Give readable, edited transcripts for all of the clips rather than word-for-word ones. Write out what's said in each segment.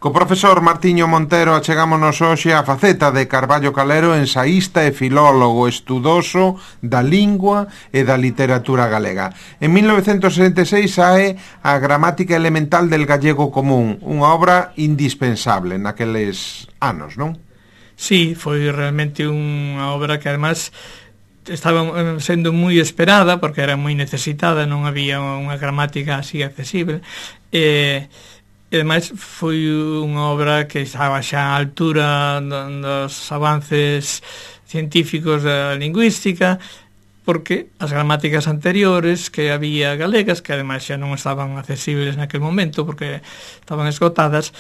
Co profesor Martiño Montero achegámonos hoxe a faceta de Carballo Calero, ensaísta e filólogo estudoso da lingua e da literatura galega. En 1966 sae a Gramática Elemental del Gallego Común, unha obra indispensable naqueles anos, non? Sí, foi realmente unha obra que además estaba sendo moi esperada porque era moi necesitada, non había unha gramática así accesible, e ademais foi unha obra que estaba xa á altura dos avances científicos da lingüística, porque as gramáticas anteriores que había galegas, que ademais xa non estaban accesibles naquel momento porque estaban esgotadas,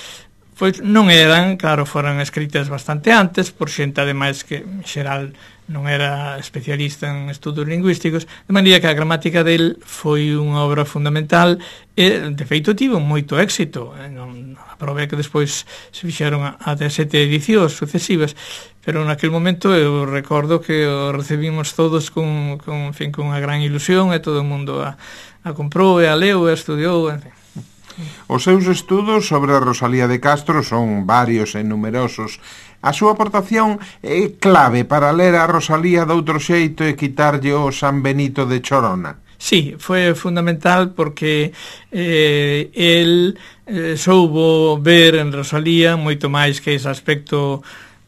pois non eran, claro, foran escritas bastante antes por xente ademais que en xeral non era especialista en estudos lingüísticos, de maneira que a gramática del foi unha obra fundamental e, de feito, tivo moito éxito. A prova é que despois se fixeron a 17 edicións sucesivas, pero naquele momento eu recordo que o recibimos todos con unha gran ilusión e todo o mundo a comprou e a leu e a estudiou, en fin. Os seus estudos sobre a Rosalía de Castro son varios e numerosos. A súa aportación é clave para ler a Rosalía de outro xeito e quitarlle o San Benito de Chorona. Sí, foi fundamental porque el soubo ver en Rosalía moito máis que ese aspecto,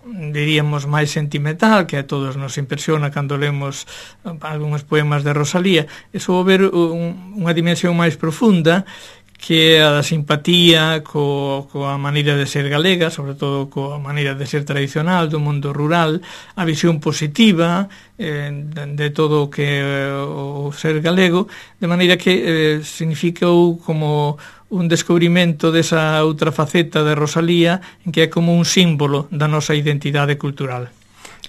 diríamos, máis sentimental que a todos nos impresiona cando lemos algúns poemas de Rosalía, e soubo ver unha dimensión máis profunda que a da simpatía coa maneira de ser galega, sobre todo coa maneira de ser tradicional do mundo rural, a visión positiva de todo o que o ser galego, de maneira que significou como un descubrimento desa outra faceta de Rosalía, en que é como un símbolo da nosa identidade cultural.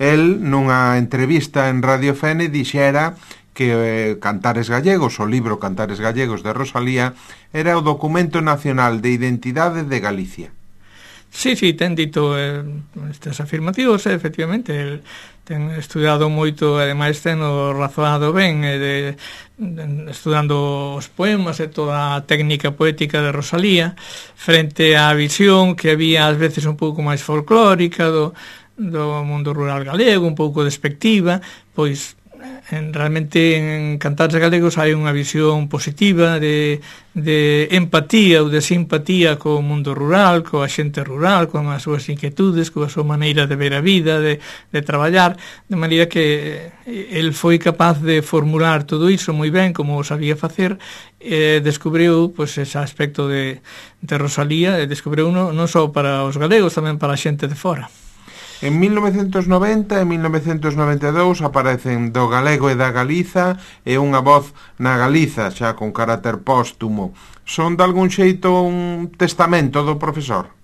El, nunha entrevista en Radio Fene, dixera que Cantares Gallegos, o libro Cantares Gallegos de Rosalía, era o documento nacional de identidade de Galicia. Sí, ten dito estas afirmativos, efectivamente, el ten estudiado moito, ademais ten o razoado ben, estudando os poemas e toda a técnica poética de Rosalía, frente á visión que había ás veces un pouco máis folclórica do mundo rural galego, un pouco despectiva, pois realmente en Cantares Galegos hai unha visión positiva de empatía ou de simpatía co mundo rural, coa xente rural, con as súas inquietudes, coa súa maneira de ver a vida, de traballar, de maneira que el foi capaz de formular todo iso moi ben, como o sabía facer, e descubriu pois, ese aspecto de Rosalía, e descubriu non só para os galegos, tamén para a xente de fora. En 1990 e 1992 aparecen Do Galego e da Galiza e Unha voz na Galiza, xa con carácter póstumo. Son de algún xeito un testamento do profesor?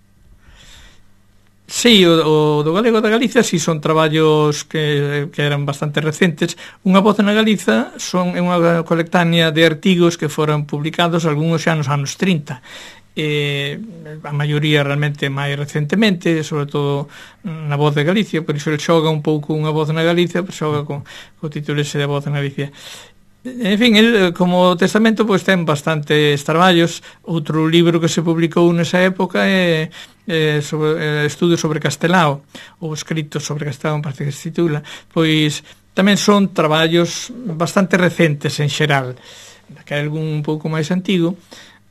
Sí, o do Galego da Galiza si son traballos que eran bastante recentes. Unha voz na Galiza é unha colectánea de artigos que foron publicados algúns xa nos anos 30. A maioría realmente máis recentemente, sobre todo na Voz de Galicia, por iso ele xoga un pouco Unha voz na Galicia, pero xoga con o título ese de Voz na Galicia. En fin, el como testamento pois ten bastantes traballos. Outro libro que se publicou nesa época é Estudos sobre Castelao, ou Escritos sobre Castelao, parece que se titula. Pois tamén son traballos bastante recentes en xeral, que hai algún un pouco máis antigo,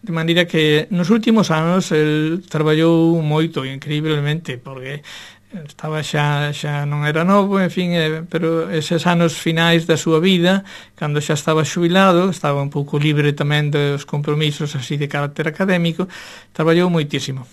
de maneira que nos últimos anos el traballou moito, increíblemente, porque estaba xa non era novo, en fin, pero eses anos finais da súa vida, cando xa estaba xubilado, estaba un pouco libre tamén dos compromisos así de carácter académico, traballou moitísimo.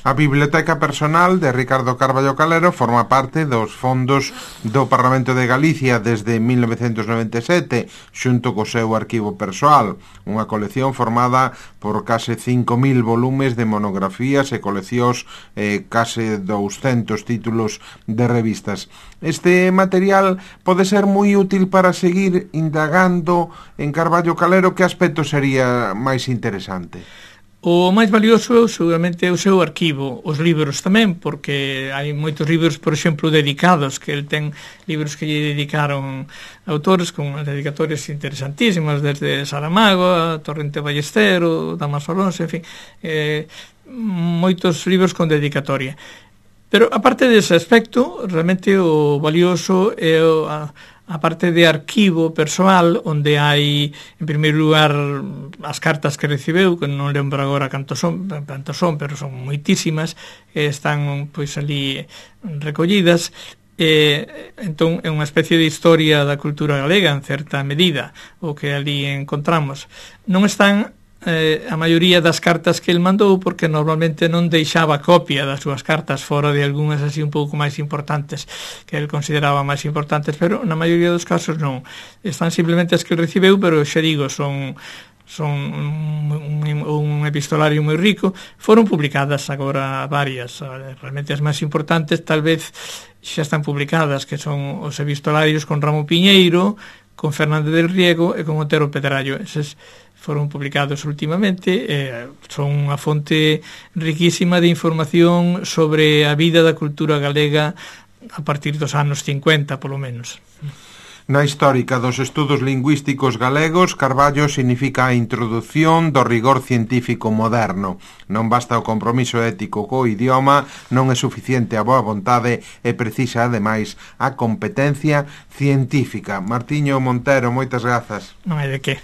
A Biblioteca Personal de Ricardo Carballo Calero forma parte dos fondos do Parlamento de Galicia desde 1997, xunto co seu arquivo persoal, unha colección formada por case 5.000 volumes de monografías e coleccións, case 200 títulos de revistas. Este material pode ser moi útil para seguir indagando en Carballo Calero. Que aspecto sería máis interesante? O máis valioso seguramente é o seu arquivo, os libros tamén, porque hai moitos libros, por exemplo, dedicados, que el ten libros que lle dedicaron autores con dedicatorias interesantísimas, desde Saramago a Torrente Ballestero, Damaso Alonso, en fin, moitos libros con dedicatoria. Pero aparte dese aspecto, realmente o valioso é a parte de arquivo persoal, onde hai, en primeiro lugar, as cartas que recibeu, que non lembro agora cantos son, pero son moitísimas, están pois ali recollidas. Entón é unha especie de historia da cultura galega en certa medida o que ali encontramos. Non están a maioría das cartas que el mandou, porque normalmente non deixaba copia das súas cartas fora de algunhas así un pouco máis importantes que el consideraba máis importantes, pero na maioría dos casos non, están simplemente as que recibeu, pero xa digo, son un epistolario moi rico. Foron publicadas agora varias, realmente as máis importantes tal vez xa están publicadas, que son os epistolarios con Ramo Piñeiro, con Fernández del Riego e con Otero Pedrallo. Eses foron publicados últimamente, son unha fonte riquísima de información sobre a vida da cultura galega a partir dos anos 50, polo menos. Na histórica dos estudos lingüísticos galegos, Carballo significa a introdución do rigor científico moderno. Non basta o compromiso ético co idioma, non é suficiente a boa vontade e precisa, ademais, a competencia científica. Martiño Montero, moitas grazas. Non hai de que.